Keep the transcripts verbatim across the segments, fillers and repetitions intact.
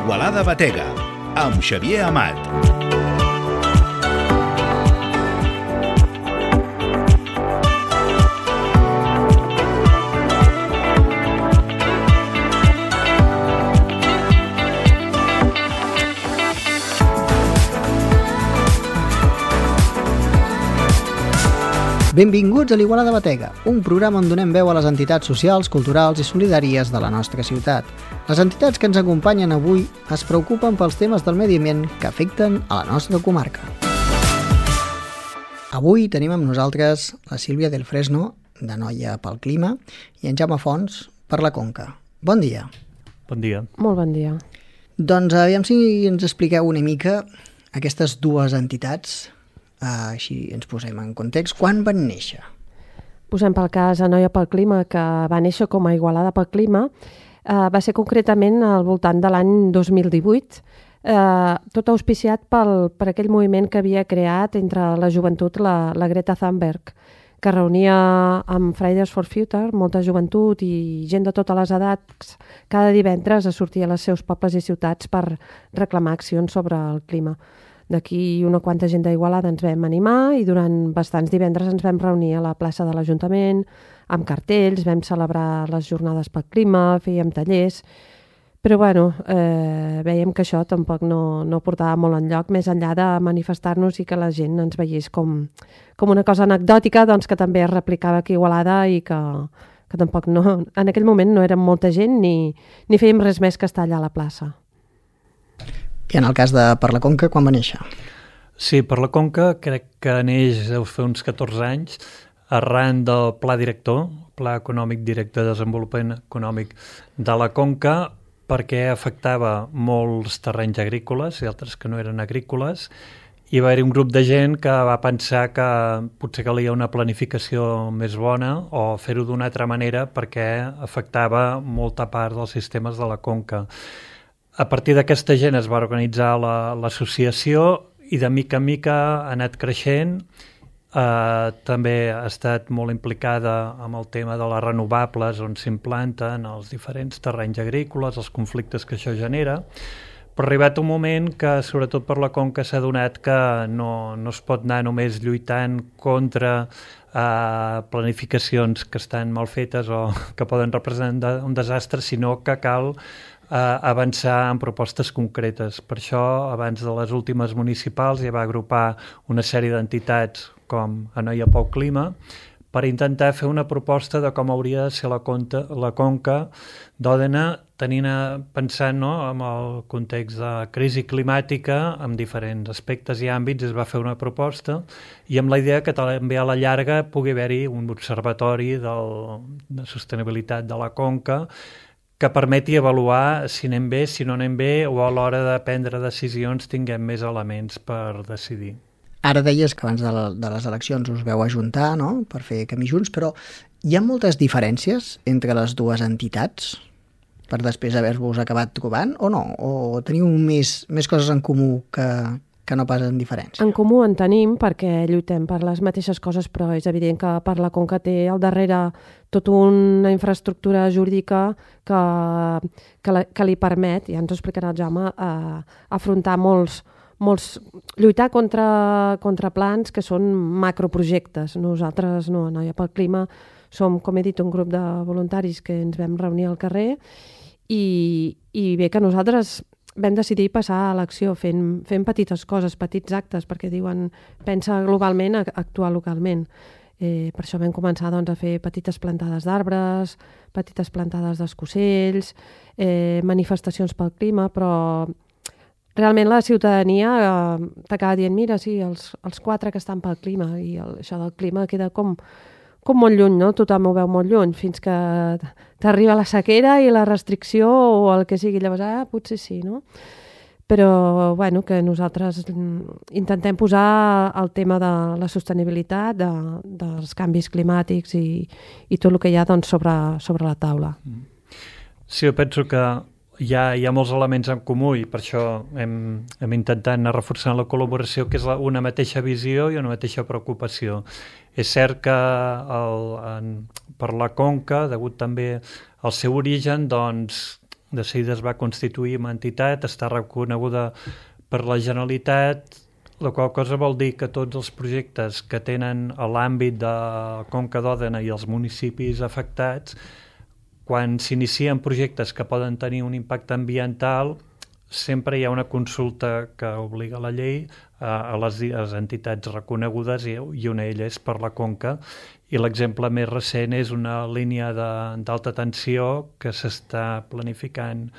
Igualada Batega, amb Xavier Amat. Benvinguts a l'Igualada Batega, un programa on donem veu a les entitats socials, culturals i solidàries de la nostra ciutat. Les entitats que ens acompanyen avui es preocupen pels temes del medi ambient que afecten a la nostra comarca. Avui tenim amb nosaltres la Sílvia del Fresno, de Noia pel Clima, i en Jaume Fons, per la Conca. Bon dia. Bon dia. Molt bon dia. Doncs aviam si ens expliqueu una mica aquestes dues entitats. Uh, així ens posem en context. Quan van néixer? Posem pel cas a Noia pel Clima, que va néixer com a Igualada pel Clima. Uh, va ser concretament al voltant de l'any dos mil divuit, uh, tot auspiciat pel, per aquell moviment que havia creat entre la joventut la, la Greta Thunberg, que reunia amb Fridays for Future molta joventut i gent de totes les edats cada divendres a sortir a els seus pobles i ciutats per reclamar accions sobre el clima. D'aquí una quanta gent d'Igualada ens vam animar i durant bastants divendres ens vam reunir a la plaça de l'Ajuntament amb cartells, vam celebrar les jornades pel clima, fèiem tallers, però bueno, eh, veiem que això tampoc no, no portava molt enlloc, més enllà de manifestar-nos i que la gent ens veiés com, com una cosa anecdòtica, doncs que també es replicava aquí a Igualada i que, que tampoc no, en aquell moment no érem molta gent ni, ni fèiem res més que estar allà a la plaça. I en el cas de Per la Conca, quan va néixer? Sí, Per la Conca crec que neix deu fer uns catorze anys arran del Pla Director, Pla Econòmic Directe de Desenvolupament Econòmic de la Conca, perquè afectava molts terrenys agrícoles i altres que no eren agrícoles, i va haver-hi un grup de gent que va pensar que potser calia una planificació més bona o fer-ho d'una altra manera perquè afectava molta part dels sistemes de la Conca. A partir d'aquesta gent es va organitzar l'associació la, i de mica en mica ha anat creixent. Eh, també ha estat molt implicada amb el tema de les renovables on s'implanten els diferents terrenys agrícoles, els conflictes que això genera. Però ha arribat un moment que, sobretot per la Conca, s'ha adonat que no, no es pot anar només lluitant contra eh, planificacions que estan mal fetes o que poden representar un desastre, sinó que cal Uh, avançar en propostes concretes. Per això, abans de les últimes municipals, ja va agrupar una sèrie d'entitats com a Noia pel Clima per intentar fer una proposta de com hauria de ser la, conta, la Conca d'Òdena, tenint a, pensant no, en el context de crisi climàtica, en diferents aspectes i àmbits, es va fer una proposta i amb la idea que també a la llarga pugui haver-hi un observatori del, de sostenibilitat de la Conca que permeti avaluar si anem bé, si no anem bé, o a l'hora de prendre decisions tinguem més elements per decidir. Ara deies que abans de, la, de les eleccions us veu ajuntar, no?, per fer camí junts, però hi ha moltes diferències entre les dues entitats per després haver-vos acabat trobant, o no? O teniu més, més coses en comú que, que no pas en diferència? En comú en tenim perquè lluitem per les mateixes coses, però és evident que Per la Conca té al darrere tota una infraestructura jurídica que, que, la, que li permet, ja ens ho explicarà el Jaume, eh, afrontar molts, molts, lluitar contra, contra plans que són macroprojectes. Nosaltres, no, Noia pel Clima, som, com he dit, un grup de voluntaris que ens vam reunir al carrer i, i bé que nosaltres vam decidir passar a l'acció fent, fent petites coses, petits actes, perquè diuen pensa globalment, actuar localment. Eh, per això vam començar doncs, a fer petites plantades d'arbres, petites plantades d'escocells, eh, manifestacions pel clima, però realment la ciutadania eh, t'acaba dient mira, sí, els, els quatre que estan pel clima i el, això del clima queda com, com molt lluny, no? Tothom ho veu molt lluny, fins que t'arriba la sequera i la restricció o el que sigui, llavors, ah, potser sí, no? Però, bueno, que nosaltres intentem posar el tema de la sostenibilitat, de, dels canvis climàtics i, i tot el que hi ha doncs, sobre, sobre la taula. Sí, jo penso que hi ha, hi ha molts elements en comú i per això hem, hem intentat anar reforçant la col·laboració, que és la, una mateixa visió i una mateixa preocupació. És cert que el, en, per la Conca, degut també al seu origen, doncs, de seguida es va constituir una entitat, està reconeguda per la Generalitat, la qual cosa vol dir que tots els projectes que tenen a l'àmbit de Conca d'Òdena i els municipis afectats, quan s'inicien projectes que poden tenir un impacte ambiental, sempre hi ha una consulta que obliga la llei a les, a les entitats reconegudes i, i una d'elles per la Conca. I l'exemple més recent és una línia d'alta tensió que s'està planificant,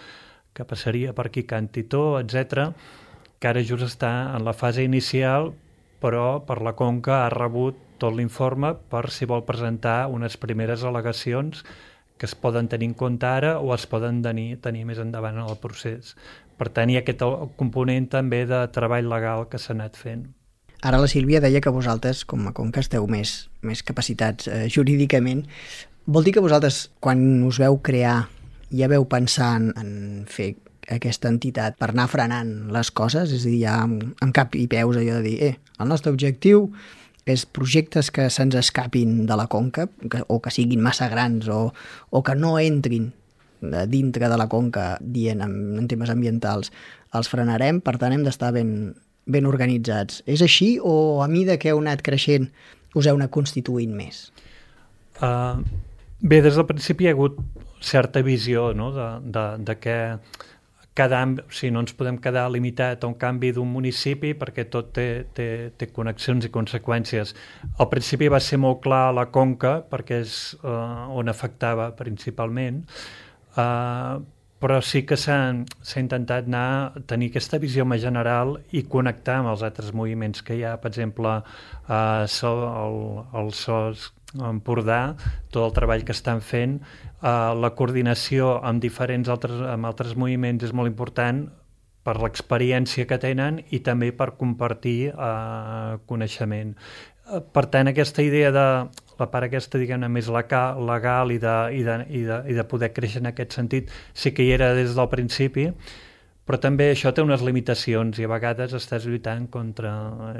que passaria per aquí Can Titó, etcètera, que ara just està en la fase inicial, però per la Conca ha rebut tot l'informe per si vol presentar unes primeres al·legacions que es poden tenir en compte ara o es poden tenir, tenir més endavant en el procés. Per tant, hi ha aquest component també de treball legal que s'ha anat fent. Ara la Sílvia deia que vosaltres, com a Conca, esteu més, més capacitats eh, jurídicament. Vol dir que vosaltres, quan us veu crear, ja veu pensar en, en fer aquesta entitat per anar frenant les coses? És a dir, ja amb, amb cap i peus allò de dir, eh, el nostre objectiu és projectes que se'ns escapin de la Conca, que, o que siguin massa grans, o, o que no entrin dintre de la Conca dient en, en temes ambientals, els frenarem, per tant hem d'estar ben, ben organitzats. És així o a mida que heu anat creixent us heu anat constituint més? Uh, bé, des del principi hi ha hagut certa visió, no?, de, de, de que cada, o sigui, no ens podem quedar limitat a un canvi d'un municipi perquè tot té, té, té connexions i conseqüències. Al principi va ser molt clar la Conca perquè és uh, on afectava principalment, uh, però sí que s'ha intentat anar a tenir aquesta visió més general i connectar amb els altres moviments que hi ha. Per exemple, uh, so, el, el S O S Empordà, tot el treball que estan fent, uh, la coordinació amb diferents altres, amb altres moviments és molt important per l'experiència que tenen i també per compartir uh, coneixement. Uh, per tant, aquesta idea de la part aquesta, diguem-ne, més legal i de, i, de, i, de, i de poder créixer en aquest sentit sí que hi era des del principi, però també això té unes limitacions i a vegades estàs lluitant contra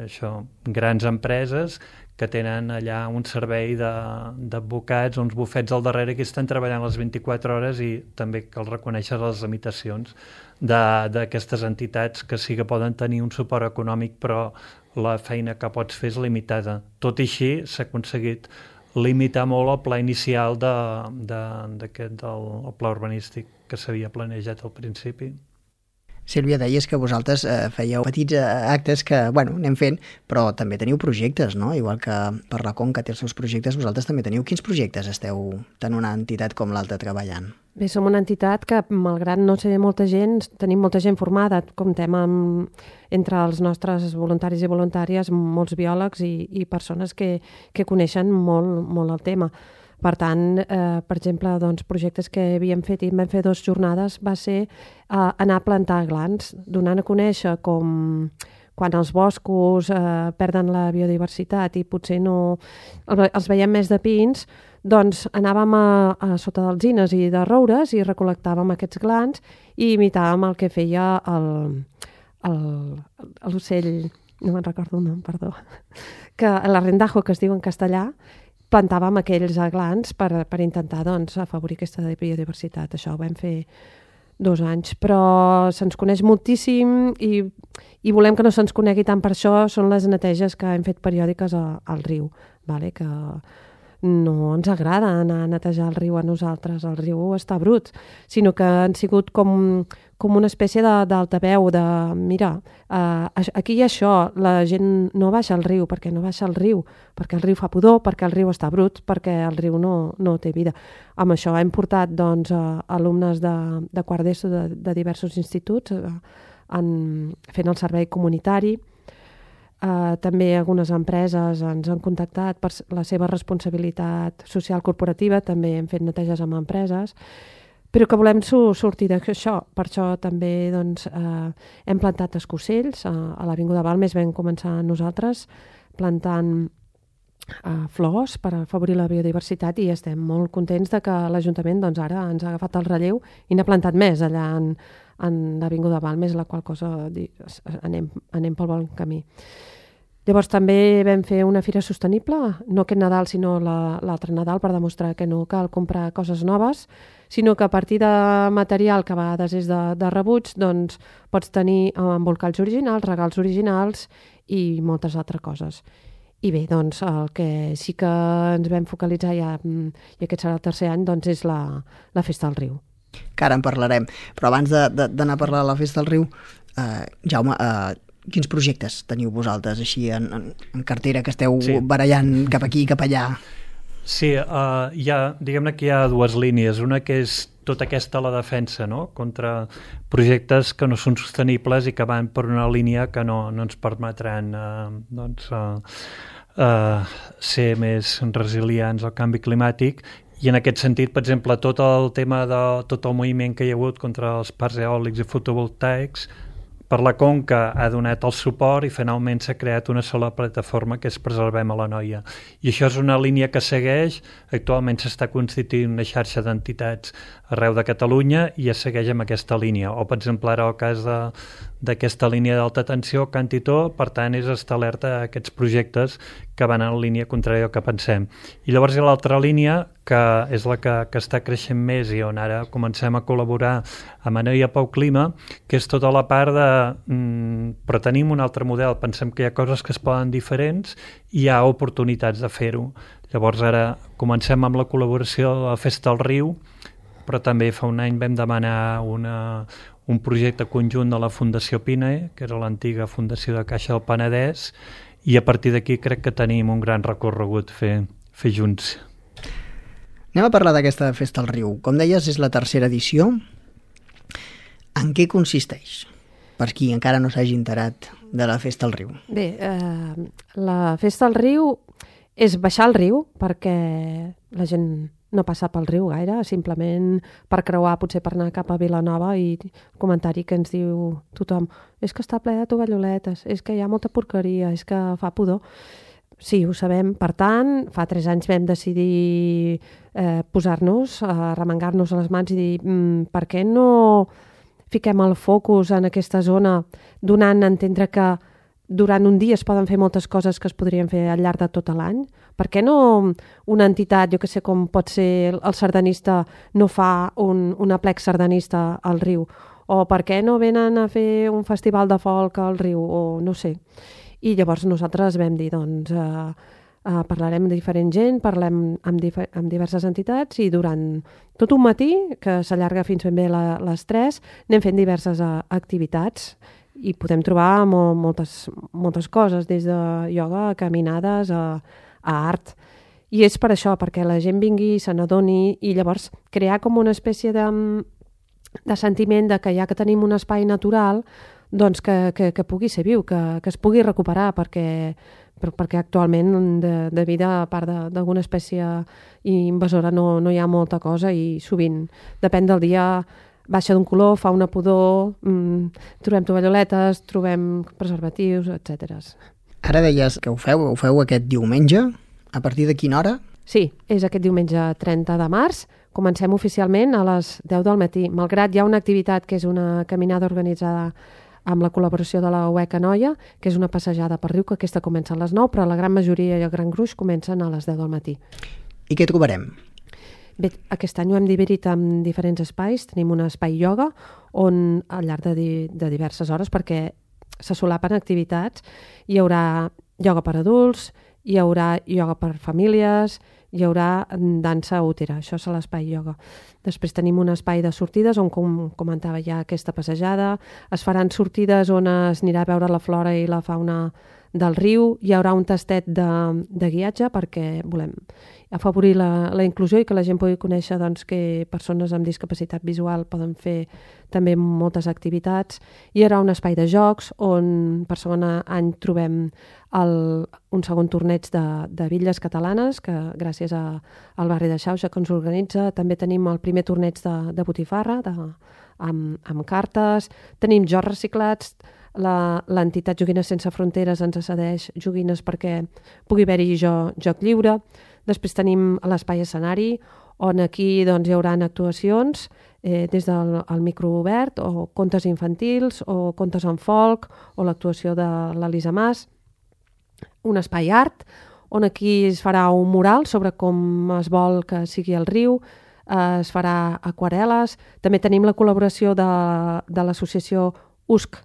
això, grans empreses que tenen allà un servei d'advocats, uns bufets al darrere que estan treballant les vint-i-quatre hores i també cal reconèixer les limitacions d'aquestes entitats que sí que poden tenir un suport econòmic però la feina que pots fer és limitada. Tot i així s'ha aconseguit limitar molt el pla inicial de, de, d'aquest, del el pla urbanístic que s'havia planejat al principi. Sílvia, deies que vosaltres eh, fèieu petits eh, actes que, bueno, anem fent, però també teniu projectes, no? Igual que per la Conca té els seus projectes, vosaltres també teniu. Quins projectes esteu tant una entitat com l'altra treballant? Bé, som una entitat que, malgrat no ser molta gent, tenim molta gent formada. Comptem amb, entre els nostres voluntaris i voluntàries, molts biòlegs i, i persones que, que coneixen molt, molt el tema. Per tant, eh, per exemple, doncs, projectes que havíem fet i vam fer dues jornades va ser eh, anar a plantar glans, donant a conèixer com quan els boscos eh, perden la biodiversitat i potser no els veiem més de pins, doncs anàvem a, a sota d'alzines i de roures i recol·lectàvem aquests glans i imitàvem el que feia l'ocell, no me'n recordo el nom, perdó, que l'arrendajo, que es diu en castellà, plantàvem aquells glans per, per intentar doncs, afavorir aquesta biodiversitat. Això ho vam fer dos anys, però se'ns coneix moltíssim i, i volem que no se'ns conegui tant per això, són les neteges que hem fet periòdiques a, al riu, vale? Que no ens agrada anar a netejar el riu a nosaltres, el riu està brut, sinó que han sigut com, com una espècie d'altaveu, de, de mira, eh, aquí hi ha això, la gent no baixa al riu, perquè no baixa al riu, perquè el riu fa pudor, perquè el riu està brut, perquè el riu no, no té vida. Amb això hem portat doncs, a alumnes de, de quart d'ESO de, de diversos instituts eh, en, fent el servei comunitari. Uh, també algunes empreses ens han contactat per la seva responsabilitat social corporativa, també hem fet neteges amb empreses, però que volem su sortir d'això. Per això també doncs, uh, hem plantat escocells uh, a l'Avinguda Balmes, vam començar nosaltres plantant uh, flors per afavorir la biodiversitat i estem molt contents de que l'Ajuntament doncs, ara ens ha agafat el relleu i n'ha plantat més allà en, en l'Avinguda Balmes, la qual cosa anem, anem pel bon camí. Llavors també vam fer una fira sostenible, no aquest Nadal sinó l'altre Nadal, per demostrar que no cal comprar coses noves, sinó que a partir de material que a vegades és de, de rebuig, doncs pots tenir embolcalls originals, regals originals i moltes altres coses. I bé, doncs el que sí que ens vam focalitzar ja, i aquest serà el tercer any, doncs és la, la Festa del Riu. Que ara en parlarem, però abans d'anar de, de, a parlar de la Festa del Riu, eh, Jaume, eh, quins projectes teniu vosaltres així en, en, en cartera que esteu sí. barallant cap aquí i cap allà? Sí, uh, hi ha, diguem-ne que hi ha dues línies. Una que és tota aquesta la defensa, no?, contra projectes que no són sostenibles i que van per una línia que no, no ens permetran uh, doncs, uh, uh, ser més resilients al canvi climàtic. I en aquest sentit, per exemple, tot el tema de tot el moviment que hi ha hagut contra els parcs eòlics i fotovoltaics, per la Conca ha donat el suport i finalment s'ha creat una sola plataforma que és Preservem a l'Anoia. I això és una línia que segueix, actualment s'està constituint una xarxa d'entitats arreu de Catalunya i es segueix amb aquesta línia. O, per exemple, ara el cas de, d'aquesta línia d'alta tensió, Cantitó, per tant, és estar alerta a aquests projectes que van en línia contrària al que pensem. I llavors hi ha l'altra línia, que és la que, que està creixent més i on ara comencem a col·laborar amb Anoia Pau Clima, que és tota la part de... Mm, però tenim un altre model, pensem que hi ha coses que es poden diferents i hi ha oportunitats de fer-ho. Llavors ara comencem amb la col·laboració de la Festa del Riu, però també fa un any vam demanar una, un projecte conjunt de la Fundació PINE, que era l'antiga Fundació de Caixa del Penedès, i a partir d'aquí crec que tenim un gran recorregut fer, fer junts. Anem a parlar d'aquesta Festa al Riu. Com deies, és la tercera edició. En què consisteix? Per qui encara no s'hagi enterat de la Festa al Riu. Bé, eh, la Festa al Riu és baixar al riu, perquè la gent no passa pel riu gaire, simplement per creuar, potser per anar cap a Vilanova, i el comentari que ens diu tothom, és que està ple de tovalloletes, és que hi ha molta porqueria, és que fa pudor. Sí, ho sabem. Per tant, fa tres anys vam decidir eh, posar-nos, eh, remengar-nos a les mans i dir mm, per què no fiquem el focus en aquesta zona, donant a entendre que durant un dia es poden fer moltes coses que es podrien fer al llarg de tot l'any. Per què no una entitat, jo que sé com pot ser el sardanista, no fa un, un aplec sardanista al riu? O per què no venen a fer un festival de folk al riu? O no sé. I llavors nosaltres vam dir, doncs, eh, eh, parlarem amb diferent gent, parlem amb, dif- amb diverses entitats i durant tot un matí, que s'allarga fins ben bé la, les tres, anem fent diverses uh, activitats i podem trobar mo- moltes, moltes coses, des de ioga a caminades a, a art. I és per això, perquè la gent vingui, se n'adoni i llavors crear com una espècie de, de sentiment de que ja que tenim un espai natural, doncs que, que, que pugui ser viu, que, que es pugui recuperar, perquè, per, perquè actualment de, de vida, a part d'alguna espècie invasora, no, no hi ha molta cosa i sovint, depèn del dia, baixa d'un color, fa una pudor, mmm, trobem tovalloletes, trobem preservatius, etcètera. Ara deies que ho feu, ho feu aquest diumenge, a partir de quina hora? Sí, és aquest diumenge trenta de març, comencem oficialment a les deu del matí, malgrat hi ha una activitat que és una caminada organitzada amb la col·laboració de la U E C Anoia, que és una passejada per riu, que aquesta comença a les nou, però la gran majoria i el gran gruix comencen a les deu del matí. I què trobarem? Bé, aquest any ho hem dividit en diferents espais. Tenim un espai ioga on al llarg de, di de diverses hores, perquè se solapen activitats, hi haurà ioga per adults, hi haurà ioga per famílies, hi haurà dansa útera, això és l'espai ioga. Després tenim un espai de sortides on, com comentava ja, aquesta passejada, es faran sortides on es anirà a veure la flora i la fauna del riu, hi haurà un tastet de, de guiatge perquè volem afavorir la, la inclusió i que la gent pugui conèixer doncs, que persones amb discapacitat visual poden fer també moltes activitats. Hi haurà un espai de jocs on per segon any trobem el, un segon torneig de, de bitlles catalanes que gràcies a, al barri de Xauxa que ens organitza. També tenim el primer torneig de, de botifarra de, amb, amb cartes, tenim jocs reciclats. L'entitat Joguines Sense Fronteres ens cedeix joguines perquè pugui haver-hi jo, joc lliure. Després tenim l'espai escenari, on aquí doncs, hi haurà actuacions eh, des del el micro obert, o contes infantils, o contes en folk, o l'actuació de l'Elisa Mas. un espai art, on aquí es farà un mural sobre com es vol que sigui el riu, eh, es farà aquarel·les. També tenim la col·laboració de, de l'associació U S C,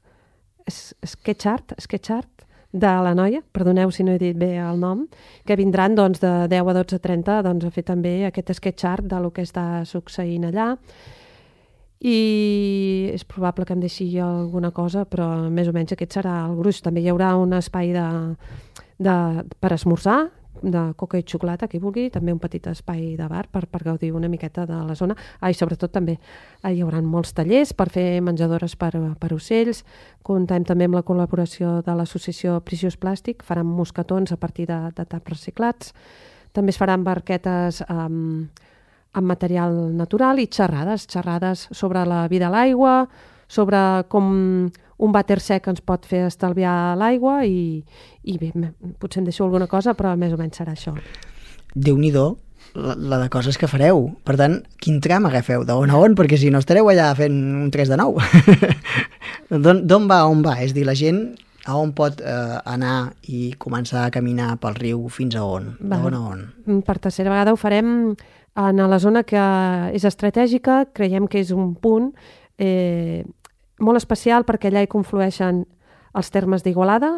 Sketch Art, Sketch Art, de la noia, perdoneu si no he dit bé el nom, que vindran doncs, de deu a dotze a trenta doncs, a fer també aquest sketch art de lo que està succeint allà. I és probable que em deixi alguna cosa, però més o menys aquest serà el gruix. També hi haurà un espai de, de, per esmorzar, de coca i xocolata, qui vulgui, també un petit espai de bar per, per gaudir una miqueta de la zona. Ah, i sobretot també hi haurà molts tallers per fer menjadores per, per ocells. Comptem també amb la col·laboració de l'associació Precious Plàstic, faran mosquetons a partir de, de taps reciclats. També es faran barquetes amb, amb material natural i xerrades, xerrades sobre la vida a l'aigua, sobre com un vàter sec ens pot fer estalviar l'aigua i, i bé, potser em deixo alguna cosa, però més o menys serà això. Déu-n'hi-do la, la de coses que fareu. Per tant, quin tram agafeu? De on a on? Perquè si no estareu allà fent un tres de nou. D'on va a on va? És dir, la gent a on pot eh, anar i començar a caminar pel riu fins a on? De on a on? Per tercera vegada ho farem en la zona que és estratègica, creiem que és un punt eh, molt especial perquè allà hi conflueixen els termes d'Igualada,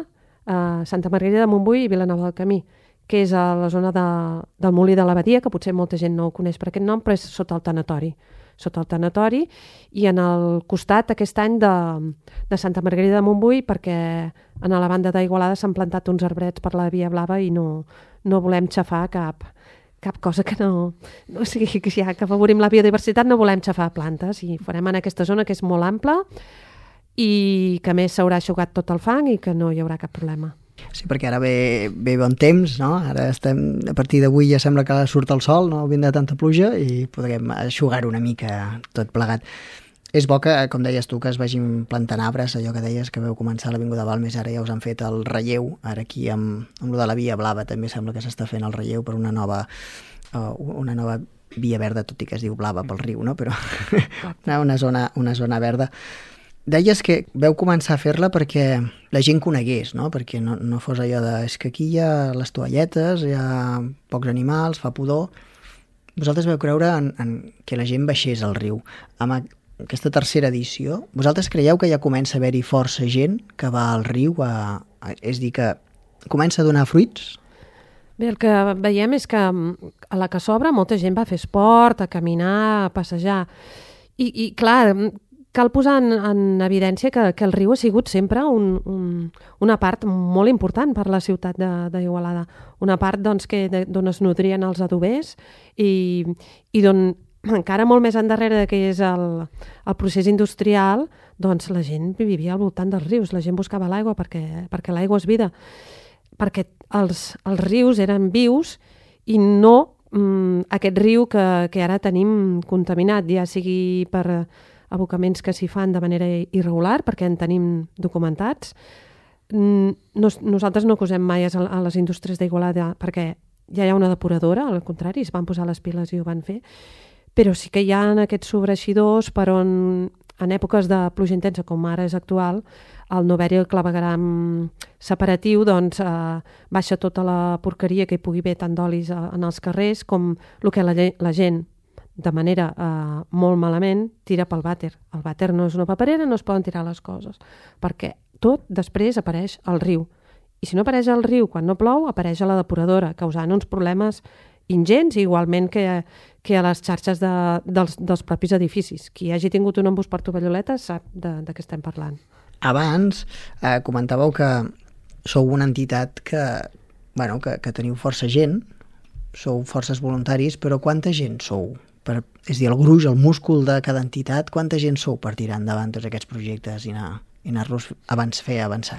eh, Santa Margarida de Montbui i Vilanova del Camí, que és a la zona de, del Molí de l'Abadia, que potser molta gent no ho coneix per aquest nom, però és sota el tanatori. Sota el tanatori i en el costat aquest any de, de Santa Margarida de Montbui, perquè en la banda d'Igualada s'han plantat uns arbrets per la Via Blava i no, no volem xafar cap, cap cosa que no... no o sigui, que ja que afavorim la biodiversitat no volem xafar plantes i farem en aquesta zona que és molt ampla i que a més s'haurà aixugat tot el fang i que no hi haurà cap problema. Sí, perquè ara ve, ve bon temps, no? Ara estem, a partir d'avui ja sembla que surt el sol, no vindrà tanta pluja i podrem aixugar una mica tot plegat. És bo que, com deies tu, que es vagin plantant arbres, allò que deies que veu començar a l'Avinguda Balmes, ara ja us han fet el relleu, ara aquí amb, amb lo de la Via Blava també sembla que s'està fent el relleu per una nova, uh, una nova via verda, tot i que es diu blava pel riu, no? Però una zona, una zona verda. Deies que veu començar a fer-la perquè la gent conegués, no? Perquè no, no fos allò de... És que aquí hi ha les toalletes, hi ha pocs animals, fa pudor. Vosaltres veu creure en, en que la gent baixés al riu. Amb aquesta tercera edició, vosaltres creieu que ja comença a haver-hi força gent que va al riu? A, a, és dir, que comença a donar fruits? Bé, el que veiem és que a la que s'obre molta gent va a fer esport, a caminar, a passejar. I, i clar... Cal posar en, en evidència que, que el riu ha sigut sempre un, un, una part molt important per la ciutat d'Igualada. Una part doncs, que, d'on es nodrien els adobers i, i d'on encara molt més endarrere que és el, el procés industrial, doncs la gent vivia al voltant dels rius, la gent buscava l'aigua perquè, perquè l'aigua és vida, perquè els, els rius eren vius i no mm, aquest riu que, que ara tenim contaminat, ja sigui per abocaments que s'hi fan de manera irregular, perquè en tenim documentats. Nos, nosaltres no acusem mai a, a les indústries d'Igualada perquè ja hi ha una depuradora, al contrari, es van posar les piles i ho van fer, però sí que hi ha aquests sobreixidors per on, en èpoques de pluja intensa, com ara és actual, al no haver-hi el clavegueram separatiu, doncs eh, baixa tota la porqueria que hi pugui haver tant d'olis en els carrers com el que la, la gent de manera eh, molt malament, tira pel vàter. El vàter no és una paperera, no es poden tirar les coses, perquè tot després apareix al riu. I si no apareix al riu quan no plou, apareix a la depuradora, causant uns problemes ingents, igualment que, que a les xarxes de, dels, dels propis edificis. Qui hagi tingut un embús per Tovalloleta sap de, de què estem parlant. Abans eh, comentàveu que sou una entitat que, bueno, que, que teniu força gent, sou forces voluntaris, però quanta gent sou? Per, és dir, el gruix, el múscul de cada entitat, quanta gent sou per tirar endavant tots aquests projectes i anar, i anar-los abans fer avançar?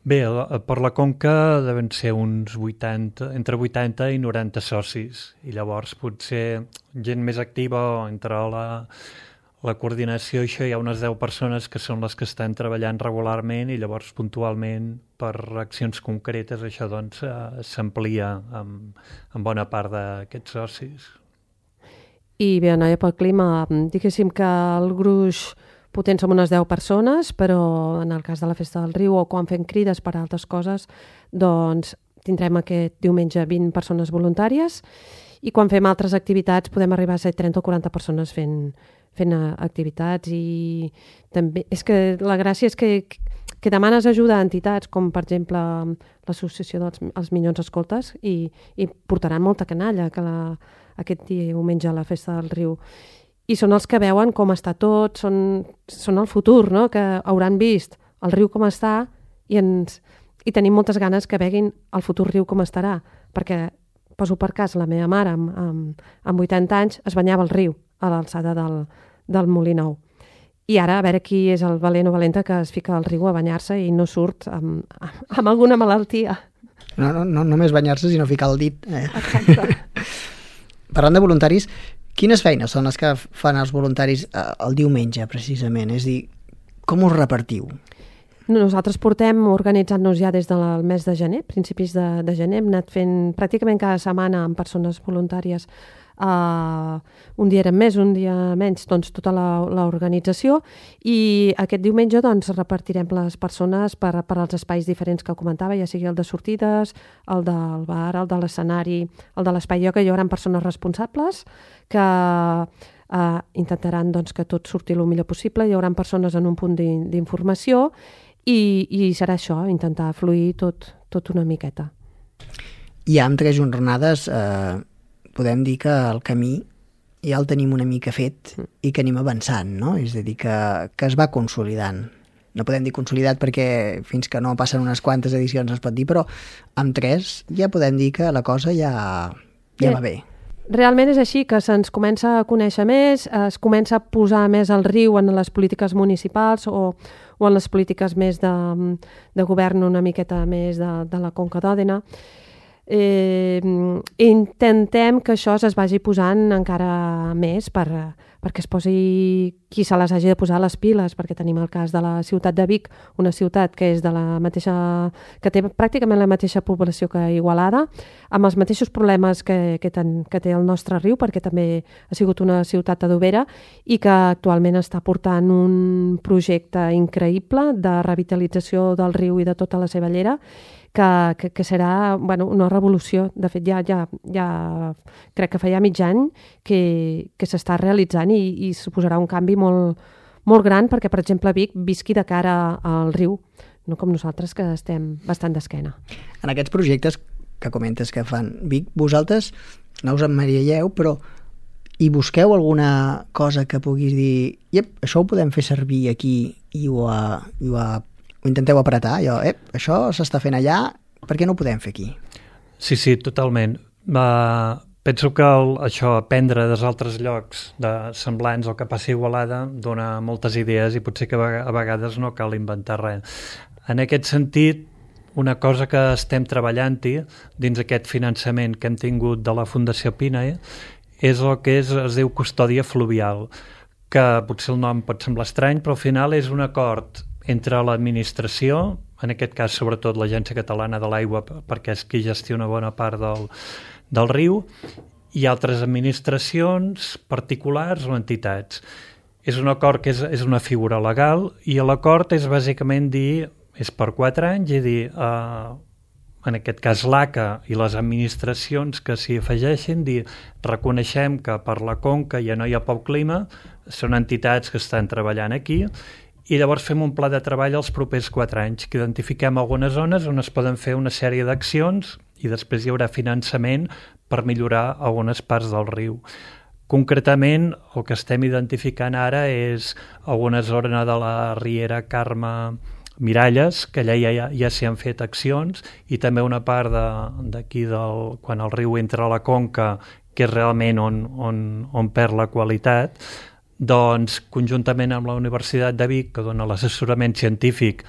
Bé, per la Conca deuen ser uns vuitanta, entre vuitanta i noranta socis, i llavors potser gent més activa entre la, la coordinació, això hi ha unes deu persones que són les que estan treballant regularment i llavors puntualment per accions concretes això doncs s'amplia amb, amb bona part d'aquests socis. I bé, Noia pel Clima, diguéssim que el gruix potent som unes deu persones, però en el cas de la Festa del Riu o quan fem crides per a altres coses, doncs tindrem aquest diumenge vint persones voluntàries i quan fem altres activitats podem arribar a ser trenta o quaranta persones fent, fent activitats i també és que la gràcia és que, que demanes ajuda a entitats com per exemple l'associació dels els Minyons Escoltes i, i portaran molta canalla que la, aquest diumenge a la Festa del Riu i són els que veuen com està tot, són, són el futur, no? Que hauran vist el riu com està i, ens, i tenim moltes ganes que veguin el futur riu com estarà, perquè poso per cas, la meva mare amb, amb, amb vuitanta anys es banyava al riu a l'alçada del, del Molí Nou. I ara a veure qui és el valent o valenta que es fica al riu a banyar-se i no surt amb, amb alguna malaltia. No, no, no només banyar-se, sinó ficar el dit. Eh? Exacte. Parlant de voluntaris, quines feines són les que fan els voluntaris eh, el diumenge, precisament? És a dir, com us repartiu? Nosaltres portem organitzant-nos ja des del mes de gener, principis de, de gener. Hem anat fent pràcticament cada setmana amb persones voluntàries. Uh, un dia eren més, un dia menys, doncs tota l'organització i aquest diumenge doncs repartirem les persones per, per als espais diferents que comentava, ja sigui el de sortides, el del bar, el de l'escenari, el de l'espai ioga. Hi haurà persones responsables que uh, intentaran doncs, que tot surti el millor possible. Hi haurà persones en un punt d'informació i, i serà això, intentar fluir tot, tot una miqueta. I amb tres jornades eh, podem dir que el camí ja el tenim una mica fet i que anem avançant, no? És a dir, que, que es va consolidant. No podem dir consolidat perquè fins que no passen unes quantes edicions es pot dir, però amb tres ja podem dir que la cosa ja, ja va bé. Realment és així, que se'ns comença a conèixer més, es comença a posar més el riu en les polítiques municipals o, o en les polítiques més de, de govern una miqueta més de, de la Conca d'Òdena. Eh, intentem que això es vagi posant encara més per, perquè es posi qui se les hagi de posar les piles, perquè tenim el cas de la ciutat de Vic, una ciutat que és de la mateixa, que té pràcticament la mateixa població que Igualada, amb els mateixos problemes que, que, ten, que té el nostre riu, perquè també ha sigut una ciutat adobera i que actualment està portant un projecte increïble de revitalització del riu i de tota la seva llera, que, que, que serà bueno, una revolució. De fet, ja, ja, ja crec que fa ja mig any que, que s'està realitzant i, i suposarà un canvi molt, molt gran perquè, per exemple, Vic visqui de cara al riu, no com nosaltres que estem bastant d'esquena. En aquests projectes que comentes que fan Vic, vosaltres no us emmarielleu, però hi busqueu alguna cosa que puguis dir iep, això ho podem fer servir aquí i ho, a, i ho, a, ho intenteu apretar, allò, ep, això s'està fent allà, per què no ho podem fer aquí? Sí, sí, totalment. Uh, penso que el, això, aprendre dels altres llocs de semblants o que passi Igualada dona moltes idees i potser que a vegades no cal inventar res. En aquest sentit, una cosa que estem treballant-hi dins aquest finançament que hem tingut de la Fundació Pina eh, és el que és, es diu custòdia fluvial, que potser el nom pot semblar estrany, però al final és un acord entre l'administració, en aquest cas sobretot l'Agència Catalana de l'Aigua, perquè és qui gestiona bona part del, del riu, i altres administracions particulars o entitats. És un acord que és, és una figura legal i l'acord és bàsicament dir, és per quatre anys, i dir, eh, en aquest cas l'A C A i les administracions que s'hi afegeixin, dir, reconeixem que per la Conca ja no hi ha poc clima, són entitats que estan treballant aquí, i llavors fem un pla de treball els propers quatre anys, que identifiquem algunes zones on es poden fer una sèrie d'accions i després hi haurà finançament per millorar algunes parts del riu. Concretament, el que estem identificant ara és alguna zona de la Riera Carme Miralles, que allà ja, ja s'hi han fet accions, i també una part d'aquí, de, quan el riu entra a la conca, que és realment on, on, on perd la qualitat, doncs conjuntament amb la Universitat de Vic, que dona l'assessorament científic,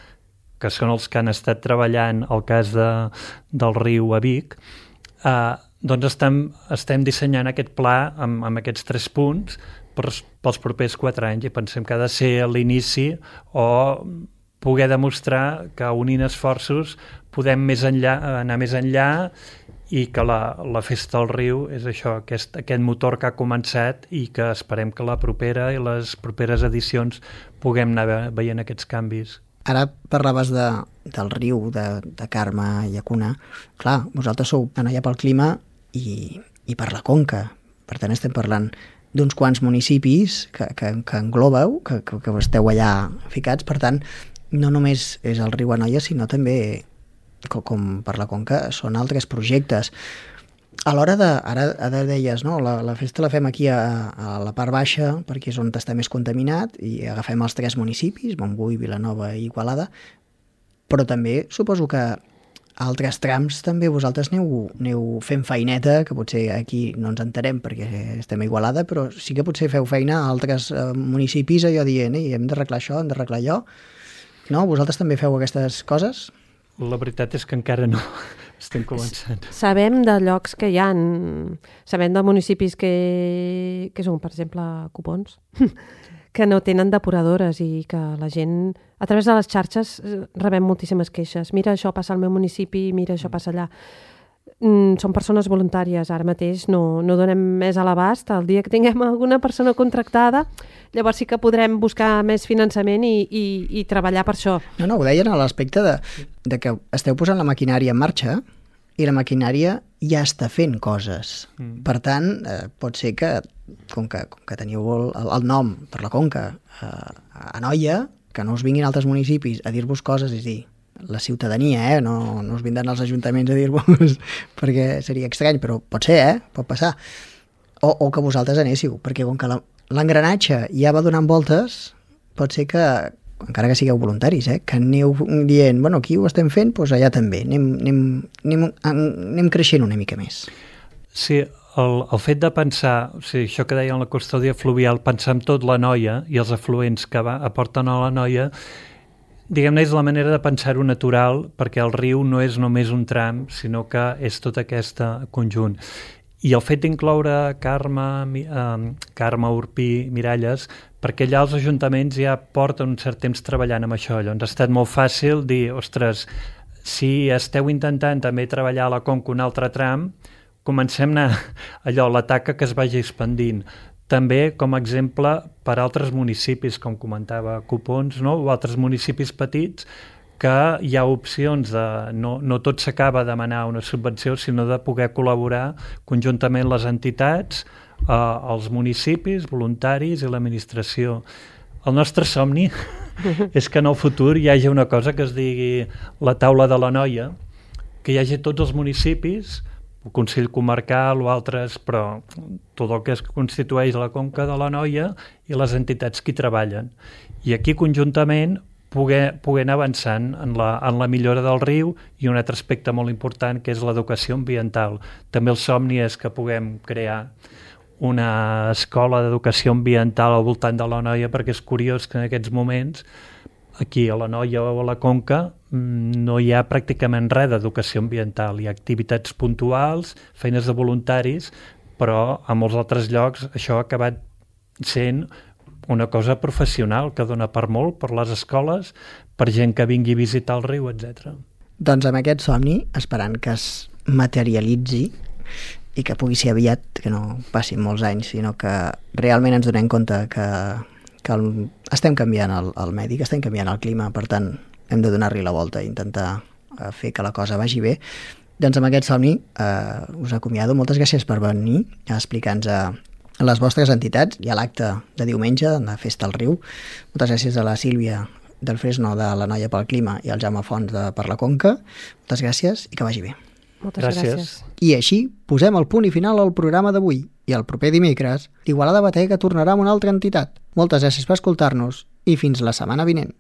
que són els que han estat treballant el cas de, del riu a Vic, eh, doncs estem, estem dissenyant aquest pla amb, amb aquests tres punts per, pels propers quatre anys i pensem que ha de ser l'inici o poder demostrar que unint esforços podem més enllà, anar més enllà i que la, la Festa del Riu és això, aquest, aquest motor que ha començat i que esperem que la propera i les properes edicions puguem anar veient aquests canvis. Ara parlaves de, del riu, de, de Carme i Llacuna. Clar, vosaltres sou allà pel clima i, i per la conca. Per tant, estem parlant d'uns quants municipis que, que, que englobeu, que, que, que esteu allà ficats. Per tant, no només és el riu Anoia, sinó també, com, com per la conca, són altres projectes. A l'hora de, ara, ara deies, no? la, la festa la fem aquí a, a la part baixa perquè és on està més contaminat i agafem els tres municipis, Montbui, Vilanova i Igualada, però també suposo que a altres trams també vosaltres aneu, aneu fent feineta, que potser aquí no ens enterem perquè estem a Igualada, però sí que potser feu feina a altres eh, municipis allò dient, eh, hem d'arreglar això, hem d'arreglar allò. No? Vosaltres també feu aquestes coses? La veritat és que encara no. Estem començant. Sabem de llocs que hi ha, sabem de municipis que, que són, per exemple, Copons, que no tenen depuradores i que la gent, a través de les xarxes, rebem moltíssimes queixes. Mira, això passa al meu municipi, mira, això passa allà. Mm, són persones voluntàries, ara mateix no, no donem més a l'abast. El dia que tinguem alguna persona contractada, llavors sí que podrem buscar més finançament i, i, i treballar per això. No, no, ho deien a l'aspecte de, de que esteu posant la maquinària en marxa i la maquinària ja està fent coses. Mm. Per tant, eh, pot ser que, com que, com que teniu el, el nom per la conca eh, a Anoia, que no us vinguin altres municipis a dir-vos coses, és dir, la ciutadania, eh? no, no us vindran els ajuntaments a dir-vos perquè seria estrany, però pot ser, eh? Pot passar. O, o que vosaltres anéssiu, perquè com que l'engranatge ja va donant voltes, pot ser que, encara que sigueu voluntaris, eh? que aneu dient, bueno, aquí ho estem fent, doncs allà també, anem, anem, anem, anem creixent una mica més. Sí, el, el fet de pensar, o sigui, això que deia en la custòdia fluvial, pensar en tot l'Anoia i els afluents que va, aporten a l'Anoia, diguem-ne, és la manera de pensar-ho natural, perquè el riu no és només un tram, sinó que és tot aquest conjunt. I el fet d'incloure Carme, eh, Carme, Orpí, Miralles, perquè allà els ajuntaments ja porten un cert temps treballant amb això. Llavors ha estat molt fàcil dir, ostres, si esteu intentant també treballar a la conca un altre tram, comencem a allò, la taca que es vagi expandint. També, com a exemple, per altres municipis, com comentava Copons, no? O altres municipis petits, que hi ha opcions de... No, no tot s'acaba de demanar una subvenció, sinó de poder col·laborar conjuntament les entitats, eh, els municipis, voluntaris i l'administració. El nostre somni és que en el futur hi hagi una cosa que es digui la taula de l'Anoia, que hi hagi tots els municipis, el Consell Comarcal o altres, però tot el que es constitueix la Conca de l'Anoia i les entitats que hi treballen. I aquí conjuntament poder, poder anar avançant en la, en la millora del riu i un altre aspecte molt important que és l'educació ambiental. També el somni és que puguem crear una escola d'educació ambiental al voltant de l'Anoia, perquè és curiós que en aquests moments aquí a l'Anoia o a la Conca no hi ha pràcticament res d'educació ambiental. Hi ha activitats puntuals, feines de voluntaris, però a molts altres llocs això ha acabat sent una cosa professional que dona per molt, per les escoles, per gent que vingui a visitar el riu, etcètera. Doncs amb aquest somni, esperant que es materialitzi i que pugui ser aviat, que no passin molts anys, sinó que realment ens donem compte que, que el, estem canviant el, el medi, que estem canviant el clima, per tant hem de donar-li la volta i intentar eh, fer que la cosa vagi bé. Doncs amb aquest somni eh, us acomiado. Moltes gràcies per venir a explicar-nos a les vostres entitats i a l'acte de diumenge de la Festa al Riu. Moltes gràcies a la Sílvia del Fresno de l'Anoia pel Clima i al Jaume Fons de per la Conca. Moltes gràcies i que vagi bé. Moltes gràcies. gràcies. I així posem el punt i final al programa d'avui. I el proper dimecres, l'Igualada Batega tornarà amb una altra entitat. Moltes gràcies per escoltar-nos i fins la setmana vinent.